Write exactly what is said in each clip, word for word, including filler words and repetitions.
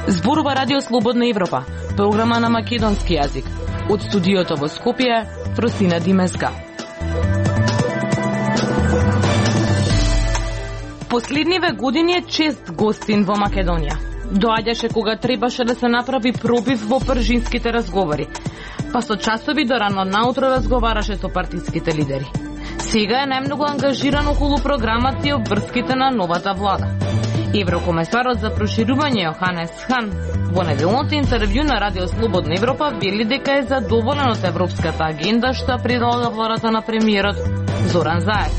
Зборува Радио Слободна Европа, програма на македонски јазик. Од студиото во Скопје, Фросина Димеска. Последниве години е чест гостин во Македонија. Доаѓаше кога требаше да се направи пробив во пржинските разговори, па со часови до рано наутро разговараше со партиските лидери. Сега е најмногу ангажиран околу програмата и обврските на новата влада. Еврокомесарот за проширување Јоханес Хан во неделното интервју на Радио Слободна Европа вели дека е задоволен од европската агенда што предлага владата на премиерот Зоран Заев.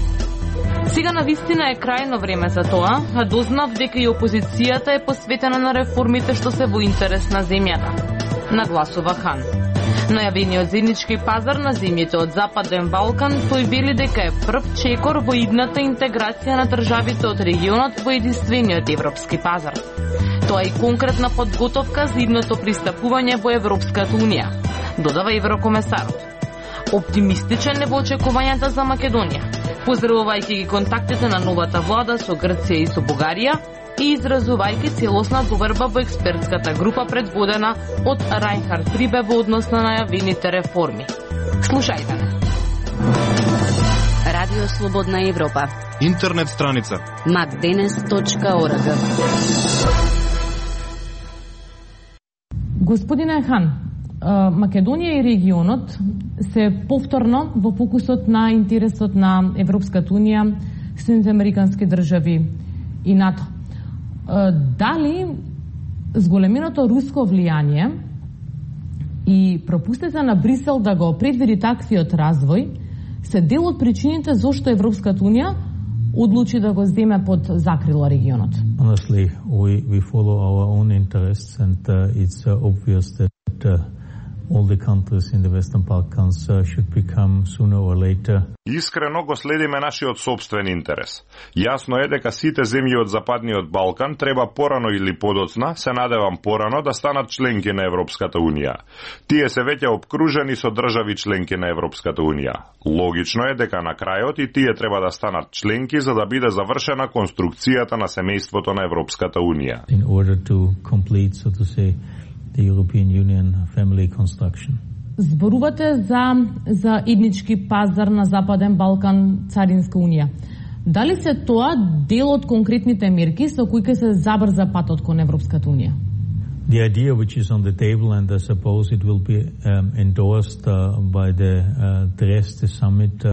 Сега навистина е крајно време за тоа, а дознав дека и опозицијата е посветена на реформите што се во интерес на земјата, нагласува Хан. Најавениот заеднички пазар на земјите од Западен Балкан, тој вели дека е прв чекор во идната интеграција на државите од регионот во единствениот европски пазар. Тоа е и конкретна подготовка за идното пристапување во Европската унија, додава еврокомесарот. Оптимистичен е во очекувањата за Македонија, поздравувајќи ги контактите на новата влада со Грција и со Бугарија и изразувајќи целосна доверба во експертската група предводена од Рајнхард Прибе во однос на најавените реформи. Слушајте не. Радио Слободна Европа. Интернет страница макденес точка орг. Господине Хан, Македонија и регионот се повторно во фокусот на интересот на Европската унија, Соединените американски држави и НАТО. Дали зголеменото руско влијание и пропустите на Брисел да го предвиди таквиот развој се дел од причините зошто Европската унија одлучи да го земе под закрила регионот? Honestly, we, we follow our own interests and uh, it's uh, obvious that uh, all the countries in the Western Balkans uh, should become sooner or later. Искрено го следиме нашиот собствен интерес. Јасно е дека сите земји од Западниот Балкан треба порано или подоцна, се надевам порано, да станат членки на Европската унија. Тие се веќе обкружени со држави членки на Европската унија. Логично е дека на крајот и тие треба да станат членки за да биде завршена конструкцијата на семејството на Европската унија. In order to complete, so to say, the European Union family construction. Зборувате за за иднички пазар на Западен Балкан, Царинска унија. Дали се тоа дел од конкретните мерки со кои ќе се забрза патот кон Европската унија? The idea which is on the table, and I suppose it will be um, endorsed uh, by the uh, Dresde summit. Uh,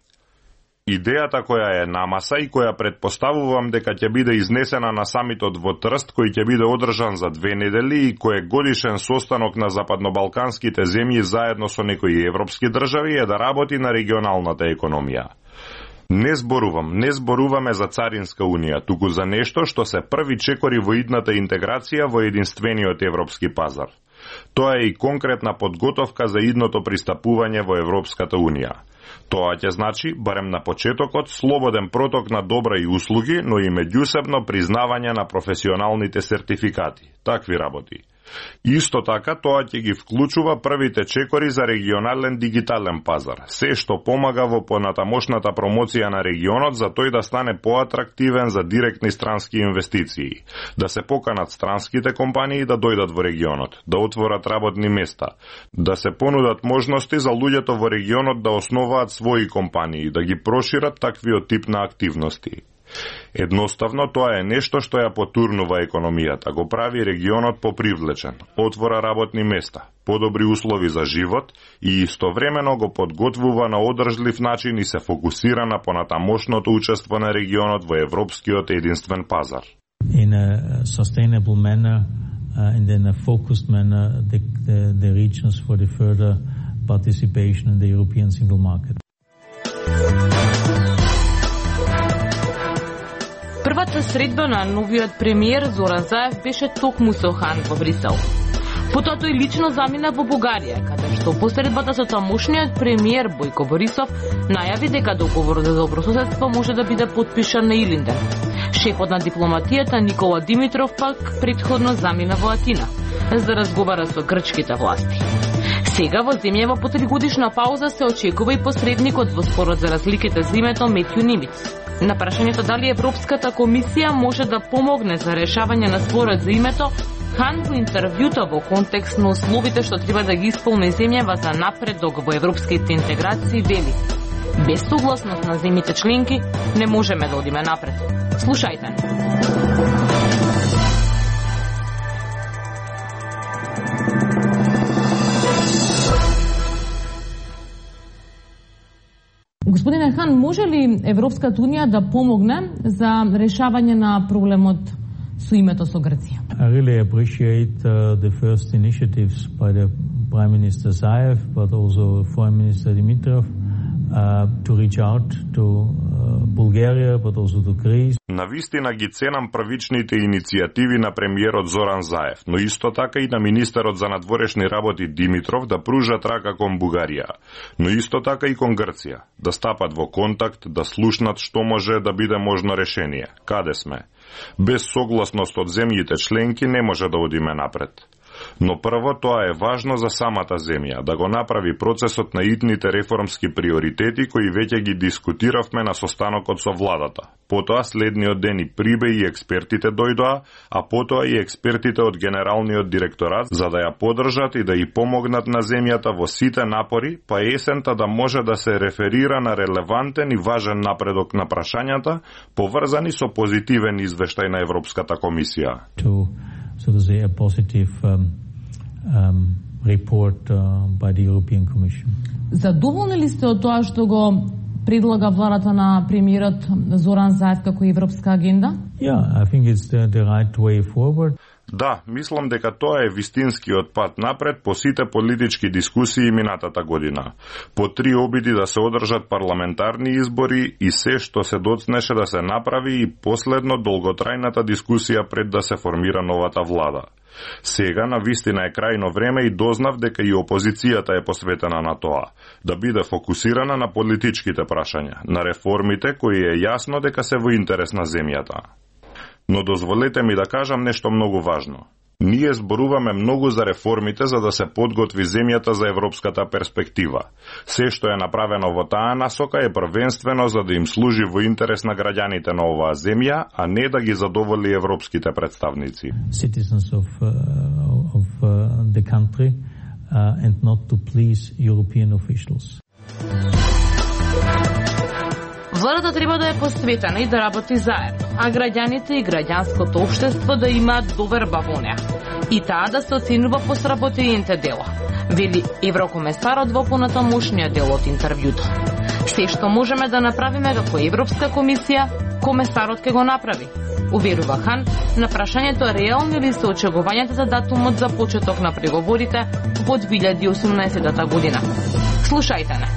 Идејата која е на маса и која предпоставувам дека ќе биде изнесена на самитот во Трст, кој ќе биде одржан за две недели и кој е годишен состанок на западнобалканските земји заедно со некои европски држави, е да работи на регионалната економија. Не зборувам, не зборуваме за Царинска унија, туку за нешто што се први чекори во идната интеграција во единствениот европски пазар. Тоа е и конкретна подготовка за идното пристапување во Европската унија. Тоа ќе значи, барем на почетокот, слободен проток на добра и услуги, но и меѓусебно признавање на професионалните сертификати. Такви работи. Исто така, тоа ќе ги вклучува првите чекори за регионален дигитален пазар, се што помага во понатамошната промоција на регионот за тој да стане поатрактивен за директни странски инвестиции, да се поканат странските компании да дојдат во регионот, да отворат работни места, да се понудат можности за луѓето во регионот да основаат своји компании, да ги прошират таквиот тип на активности. Едноставно, тоа е нешто што ја потурнува економијата, го прави регионот попривлечен, отвора работни места, подобри услови за живот и истовремено го подготвува на одржлив начин и се фокусира на понатамошното учество на регионот во европскиот единствен пазар. In a sustainable manner uh, and in a focused manner the, the, the regions for the further participation in the European single market. Првата средба на новиот премиер Зоран Заев беше токму со Хан во Брисел. Потоа тој лично замина во Бугарија, каде што посредбата со тамошниот премиер Бојко Борисов најави дека договорот за добрососедство може да биде потпишан на Илинден. Шефот на дипломатијата Никола Димитров пак претходно замина во Атина за да разговара со грчките власти. Сега во земјава по тригодишна пауза се очекува и посредникот во спорот за разликите за името Метју Нимиц. На прашањето дали Европската комисија може да помогне за решавање на спорот за името, Хан во интервјуто во контекст на условите што треба да ги исполни земјава за напредок во европските интеграции вели: без согласност на земјите членки не можеме да одиме напред. Слушајте. Господине Хан, може ли Европската унија да помогне за решавање на проблемот со името со Грција? I really appreciate uh, the first initiatives by the Prime Minister Zaev, but also Foreign Minister Dimitrov, uh, to reach out to uh, Bulgaria, but also to Greece. Навистина ги ценам првичните иницијативи на премиерот Зоран Заев, но исто така и на министерот за надворешни работи Димитров да пружат рака кон Бугарија, но исто така и кон Грција, да стапат во контакт, да слушнат што може да биде можно решение. Каде сме? Без согласност од земјите членки не може да одиме напред. Но прво тоа е важно за самата земја, да го направи процесот на итните реформски приоритети кои веќе ги дискутиравме на состанокот со владата. Потоа следниот ден и Прибе и експертите дојдоа, а потоа и експертите од Генералниот директорат за да ја поддржат и да ја помогнат на земјата во сите напори, па есента да може да се реферира на релевантен и важен напредок на прашањата, поврзани со позитивен извештај на Европската комисија. To, so to say, a positive um, um, report uh, by the European Commission. Задоволни ли сте од тоа што го предлага владата на премиерот Зоран Заев како европска агенда? Yeah, I think it's the, the right way forward. Да, мислам дека тоа е вистинскиот пат напред по сите политички дискусии минатата година. По три обиди да се одржат парламентарни избори и се што се доцнеше да се направи и последно долготрајната дискусија пред да се формира новата влада. Сега на вистина е крајно време и дознав дека и опозицијата е посветена на тоа, да биде фокусирана на политичките прашања, на реформите кои е јасно дека се во интерес на земјата. Но дозволете ми да кажам нешто многу важно. Ние зборуваме многу за реформите за да се подготви земјата за европската перспектива. Се што е направено во таа насока е првенствено за да им служи во интерес на граѓаните на оваа земја, а не да ги задоволи европските представници. Citizens of, uh, of uh, the country uh, and not to please European officials. Владата треба да е посветена и да работи заедно, а граѓаните и граѓанското општество да имаат доверба во неа. И таа да се оценува по сработените дела, вели еврокомесарот во понатамошниот дел од интервјуто. Се што можеме да направиме како Европска комисија, комесарот ќе го направи. Уверува Хан на прашањето реални ли се очекувањата за датумот за почеток на преговорите во две илјади и осумнаесета година. Слушајте не.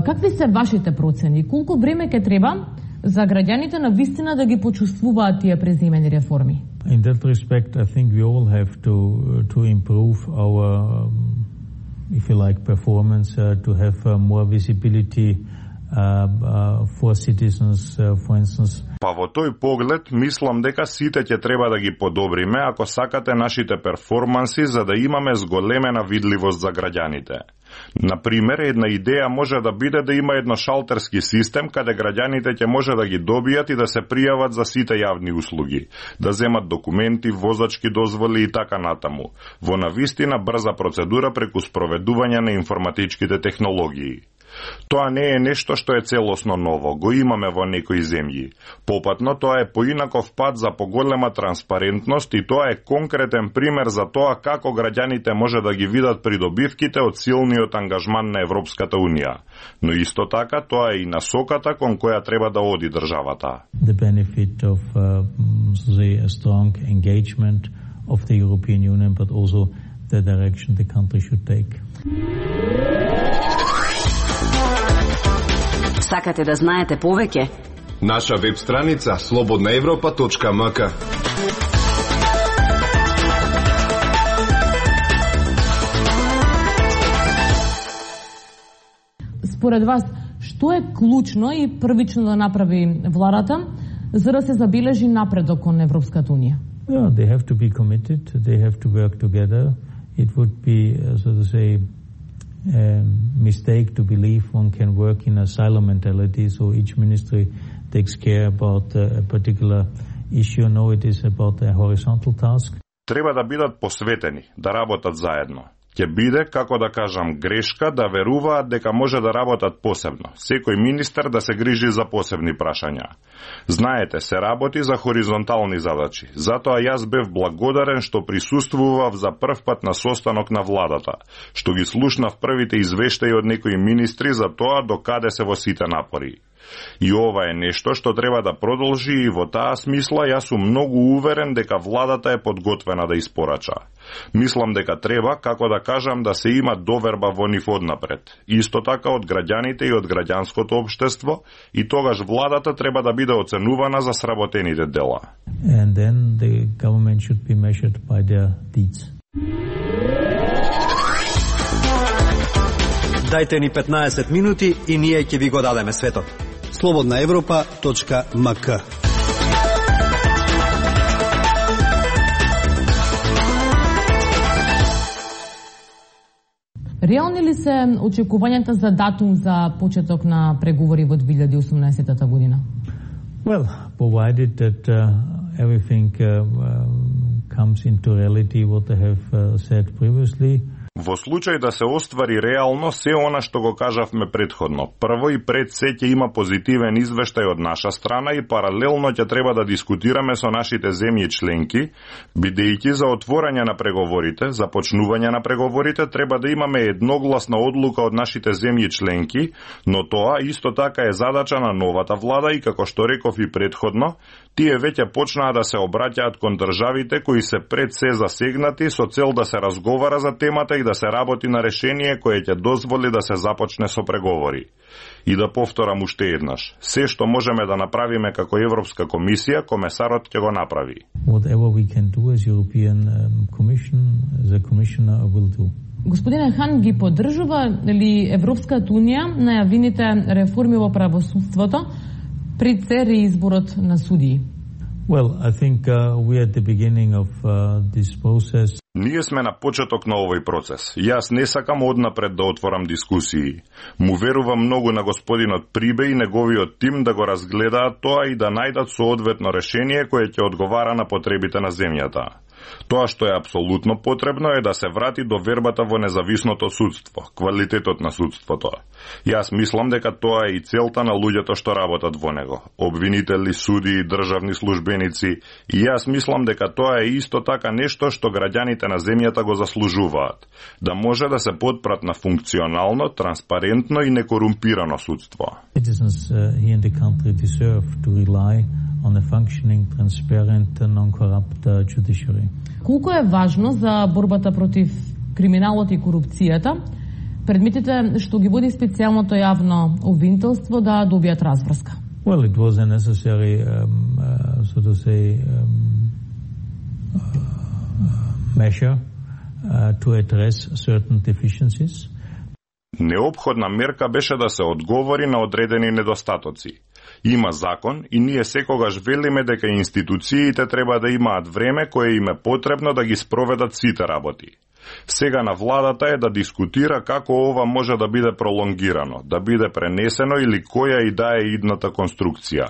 Какви се вашите процени? Колку време ќе треба за граѓаните на вистина да ги почувствуваат тие преземени реформи? In that respect, I think we all have to to improve our, um, if you like, performance, uh, to have uh, more visibility uh, uh, for citizens, uh, for instance. Па во тој поглед, мислам дека сите ќе треба да ги подобриме ако сакате нашите перформанси за да имаме зголемена видливост за граѓаните. Например, една идеја може да биде да има едно шалтерски систем каде граѓаните ќе може да ги добијат и да се пријават за сите јавни услуги, да земат документи, возачки дозволи и така натаму, во навистина брза процедура преку спроведување на информатичките технологии. Тоа не е нешто што е целосно ново, го имаме во некои земји. Попатно, тоа е поинаков пат за поголема транспарентност и тоа е конкретен пример за тоа како граѓаните може да ги видат придобивките од силниот ангажман на Европската Унија. Но исто така, тоа е и насоката кон која треба да оди државата. The benefit of uh, the strong engagement of the European Union, but also the direction the country should take. Сакате да знаете повеќе? Наша веб страница слободна европа точка ем ка. Според вас, што е клучно и првично да направи владата за да се забележи напредок кон Европската унија? Yeah, they have to be committed. They have to work together. It would be, uh, so to say, a mistake to believe one can work in a silo mentality, so each ministry takes care about uh, a particular issue. No, it is about a horizontal task. Треба да бидат посветени, да работат заедно. Ќе биде, како да кажам, грешка да веруваат дека може да работат посебно. Секој министер да се грижи за посебни прашања. Знаете, се работи за хоризонтални задачи. Затоа јас бев благодарен што присуствував за прв пат на состанок на владата, што ги слушнав првите извештаи од некои министри за тоа до каде се во сите напори. И ова е нешто што треба да продолжи и во таа смисла јас сум многу уверен дека владата е подготвена да испорача. Мислам дека треба, како да кажам, да се има доверба во нив однапред. Исто така од граѓаните и од граѓанското општество, и тогаш владата треба да биде оценувана за сработените дела. And then the government should be measured by their deeds. Дајте ни петнаесет минути и ние ќе ви го дадеме светот. слободна европа точка ем ка. Реални ли се очекувањата за датум за почеток на преговори во две илјади и осумнаесета година? Well, provided that uh, everything uh, uh, comes into reality what I have uh, said previously. Во случај да се оствари реално се она што го кажавме претходно. Прво и пред се ќе има позитивен извештај од наша страна и паралелно ќе треба да дискутираме со нашите земји членки, бидејќи за отворање на преговорите, за почнување на преговорите треба да имаме едногласна одлука од нашите земји членки, но тоа исто така е задача на новата влада и како што реков и претходно, тие веќе почнаа да се обраќаат кон државите кои се пред се засегнати со цел да се разговара за темата и да се работи на решение кое ќе дозволи да се започне со преговори. И да повторам уште еднаш, се што можеме да направиме како Европска комисија, комесарот ќе го направи. Whatever we can do as European Commission, the Commissioner will do. Господине Хан, ги поддржува ли Европската унија најавените реформи во правосудството пред се реизборот на судии? Well, I think uh, we are at the beginning of uh, this process. Ние сме на почеток на овој процес. Јас не сакам однапред да отворам дискусии. Му верувам многу на господинот Прибе и неговиот тим да го разгледаат тоа и да најдат соодветно решение кое ќе одговара на потребите на земјата. Тоа што е апсолутно потребно е да се врати довербата во независното судство, квалитетот на судството. Јас мислам дека тоа е и целта на луѓето што работат во него, обвинители, суди и државни службеници, и јас мислам дека тоа е исто така нешто што граѓаните на земјата го заслужуваат, да може да се потпрат на функционално, транспарентно и некорумпирано судство. Citizens uh, here in the country deserve to rely on a functioning, transparent, non-corrupt uh, judiciary. Колку е важно за борбата против криминалот и корупцијата предметите што ги води специјалното јавно обвинителство да добијат разврска? Well, it was a necessary, um, uh, so to say, um, uh, measure uh, to address certain deficiencies. Неопходна мерка беше да се одговори на одредени недостатоци. Има закон и ние секогаш велиме дека институциите треба да имаат време кое им е потребно да ги спроведат сите работи. Сега на владата е да дискутира како ова може да биде пролонгирано, да биде пренесено или која и да е идната конструкција.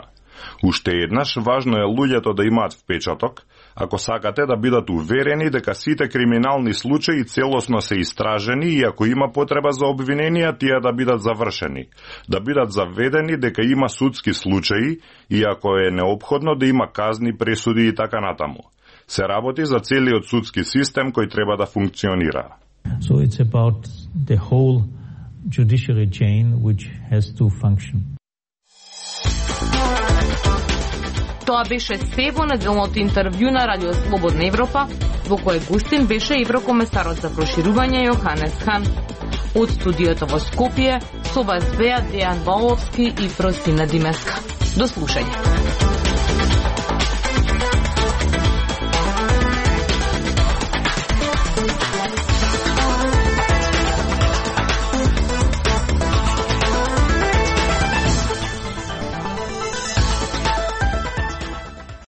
Уште еднаш, важно е луѓето да имаат впечаток, ако сакате да бидат уверени дека сите криминални случаи целосно се истражени и ако има потреба за обвиненија, тие да бидат завршени, да бидат заведени дека има судски случаи и ако е неопходно да има казни, пресуди и така натаму. Се работи за целиот судски систем кој треба да функционира. So it's about the whole judiciary chain which has to function. Тоа беше се во неделното интервју на Радио Слободна Европа, во кое гостин беше еврокомесарот за проширување Јоханес Хан. Од студиото во Скопје, со вас беа Дејан Валовски и Простина Димеска. До слушање.